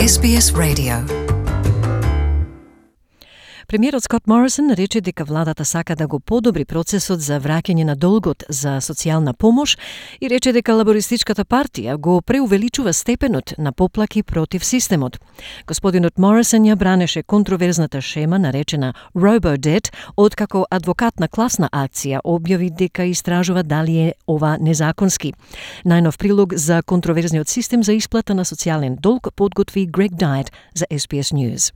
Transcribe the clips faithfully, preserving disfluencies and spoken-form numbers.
Ес Би Ес Radio. Премиерот Скот Морисон рече дека владата сака да го подобри процесот за враќање на долгот за социјална помош и рече дека лабористичката партија го преувеличува степенот на поплаки против системот. Господинот Морисон ја бранеше контроверзната шема наречена RoboDebt, откако адвокат на класна акција објави дека истражува дали е ова незаконски. Најнов прилог за контроверзниот систем за исплата на социјален долг подготви Грег Дайт за Ес Би Ес News.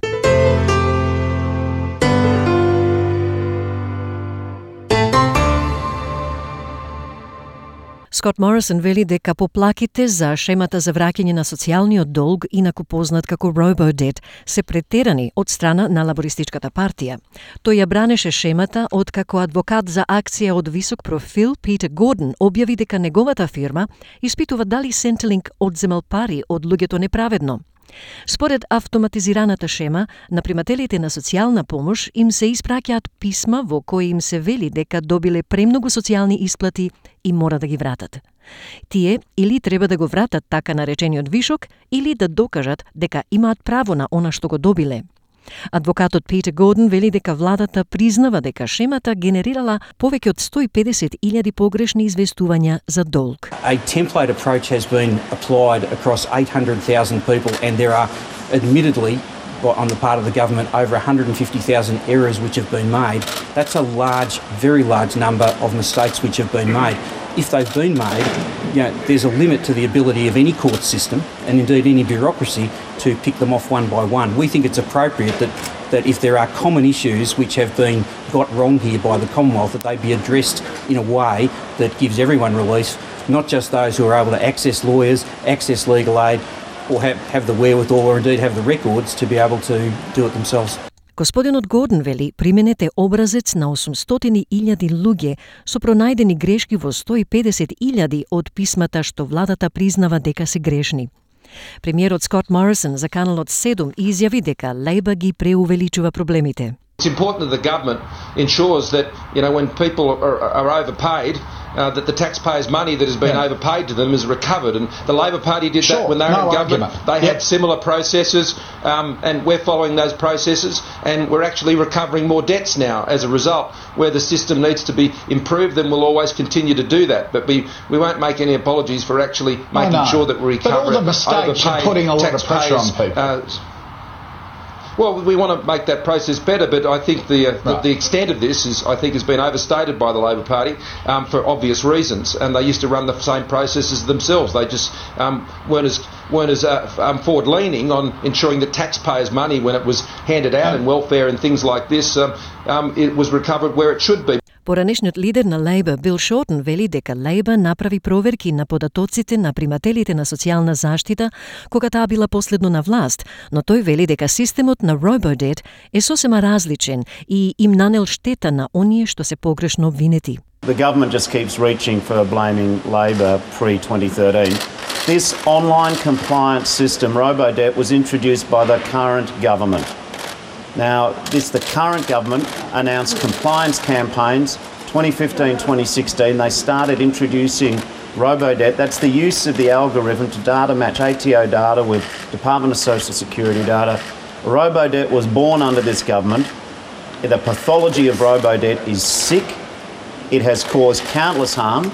Скот Морисон вели дека поплаките за шемата за враќање на социјалниот долг, инаку познат како RoboDebt, се претерани од страна на лабористичката партија. Тој ја бранеше шемата откако адвокат за акција од висок профил Питер Гордон објави дека неговата фирма испитува дали Centrelink одземал пари од луѓето неправедно. Според автоматизираната шема, на примателите на социјална помош им се испраќаат писма во кои им се вели дека добиле премногу социјални исплати и мора да ги вратат. Тие или треба да го вратат така наречениот вишок, или да докажат дека имаат право на она што го добиле. Адвокатот Питер Гордон вели дека владата признава дека шемата генерирала повеќе од сто и педесет илјади погрешни известувања за долг. A template approach has been applied across eight hundred thousand people, and there are admittedly on the part of the government over one hundred fifty thousand errors which have been made. That's a large, very large number of mistakes which have been made. If they've been made, you know, there's a limit to the ability of any court system and indeed any bureaucracy to pick them off one by one. We think it's appropriate that, that if there are common issues which have been got wrong here by the Commonwealth, that they be addressed in a way that gives everyone relief, not just those who are able to access lawyers, access legal aid, or have, have the wherewithal or indeed have the records to be able to do it themselves. Господинот Гордон вели, применете образец на осумстотини илјади луѓе со пронајдени грешки во сто и педесет илјади од писмата што владата признава дека се грешни. Премиерот Скот Морисон за каналот седум изјави дека Лейбър ги преувеличува проблемите. It's important that the government ensures that, you know, when people are, are overpaid, uh, that the taxpayers' money that has been yeah. overpaid to them is recovered. And the Labor Party did sure, that when they were no in government. Argument. They yep. had similar processes, um, and we're following those processes, and we're actually recovering more debts now as a result. Where the system needs to be improved, then we'll always continue to do that. But we, we won't make any apologies for actually making oh, no. sure that we recover but all the mistakes are putting a lot of pressure on people. Uh, Well, we want to make that process better, but I think the, uh, right. the the extent of this is, I think, has been overstated by the Labor Party um, for obvious reasons. And they used to run the same processes themselves. They just um, weren't as weren't as uh, um, forward-leaning on ensuring that taxpayers' money, when it was handed out yeah. in welfare and things like this, um, um, it was recovered where it should be. Поранешниот лидер на Лейбър, Бил Шортон, вели дека Лейбър направи проверки на податоците на примателите на социјална заштита кога таа била последно на власт, но тој вели дека системот на RoboDebt е сосема различен и им нанел штета на оние што се погрешно обвинети. The government just keeps reaching for blaming Labor pre twenty thirteen. This online compliance system, RoboDebt, was introduced by the current government. Now, this the current government announced compliance campaigns twenty fifteen twenty sixteen. They started introducing RoboDebt. That's the use of the algorithm to data match A T O data with Department of Social Security data. RoboDebt was born under this government. The pathology of RoboDebt is sick. It has caused countless harm.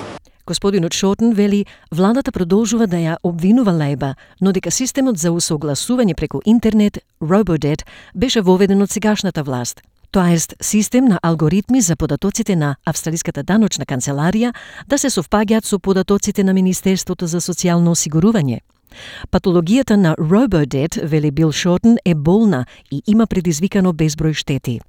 Господинот Шортон вели, владата продолжува да ја обвинува Лейбър, но дека системот за усогласување преку интернет, RoboDebt, беше воведен од сегашната власт. Тоа е систем на алгоритми за податоците на Австралиската даночна канцеларија да се совпаѓаат со податоците на Министерството за социјално осигурување. Патологијата на RoboDebt, вели Бил Шортон, е болна и има предизвикано безброј штети.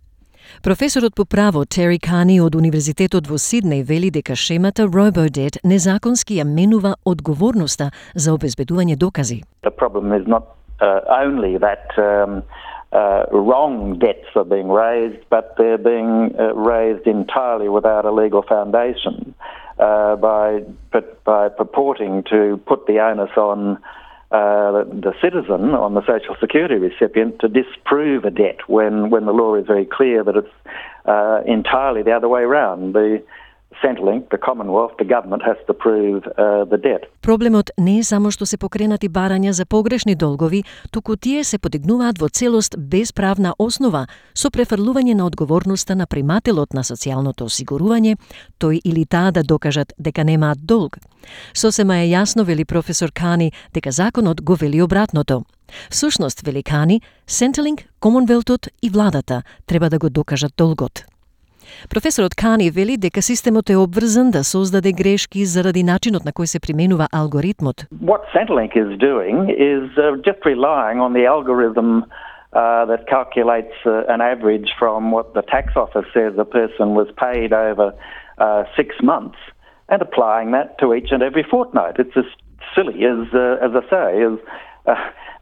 Професорот по право Тери Кани од Универзитетот во Сиднеј вели дека шемата RoboDebt незаконски ја менува одговорноста за обезбедување докази. The problem is not uh, only that um, uh, wrong debts are being raised, but they're being uh, raised entirely without a legal foundation uh, by by purporting to put the onus on Uh, the citizen, on the social security recipient, to disprove a debt when, when the law is very clear that it's uh, entirely the other way around. The Centrelink, the Commonwealth, the government has to prove uh, the debt. Проблемот не е само што се покренати барања за погрешни долгови, туку тие се подигнуваат во целост без правна основа, со префрлување на одговорноста на примателот на социјалното осигурување, тој или таа да докажат дека немаат долг. Сосема е јасно, вели професор Кани, дека законот го вели обратното. Всушност, вели Кани, Centrelink, Комонвелтот и владата треба да го докажат долгот. Професорот Кани вели дека системот е обврзан да создаде грешки заради начинот на кој се применува алгоритмот. What Centrelink is doing is uh, just relying on the algorithm uh, that calculates uh, an average from what the tax office says a person was paid over uh, six months and applying that to each and every fortnight. It's as silly as, uh, as I say, as uh,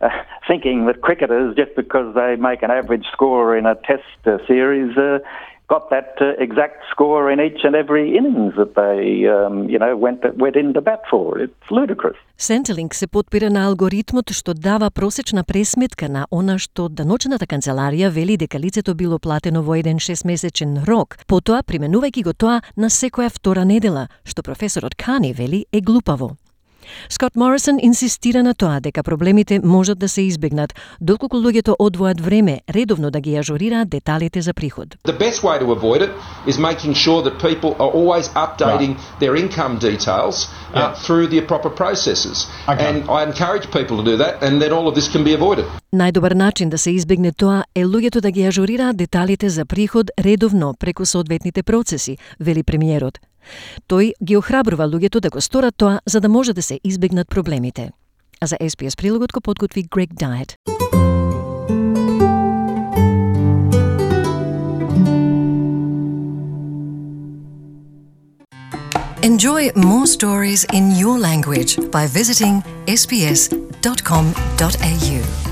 uh, thinking that cricketers, just because they make an average score in a test uh, series, uh, got that uh, exact score in each and every innings that they, um, you know, went went into bat for. It's ludicrous. Centrelink се потпира на алгоритмот што дава просечна пресметка на она што даночната канцеларија вели дека лицето било платено во еден шестмесечен рок, потоа применувајќи го тоа на секоја втора недела, што професорот Кани вели е глупаво. Скот Морисон инсистира на тоа дека проблемите можат да се избегнат, доколку луѓето одвојат време редовно да ги ажурираат деталите за приход. The best way to avoid it is making sure that people are always updating right. their income details uh, yeah. through the proper processes. Okay. And I encourage people to do that, and then all of this can be avoided. Најдобар начин да се избегне тоа е луѓето да ги ажурираат деталите за приход редовно преку соодветните процеси, вели премиерот. Тој ги охрабрува луѓето да го сторат тоа за да може да се избегнат проблемите. А за Ес Би Ес прилогот го подготви Грег Дайет. Enjoy more stories in your language by visiting s b s dot com dot a u.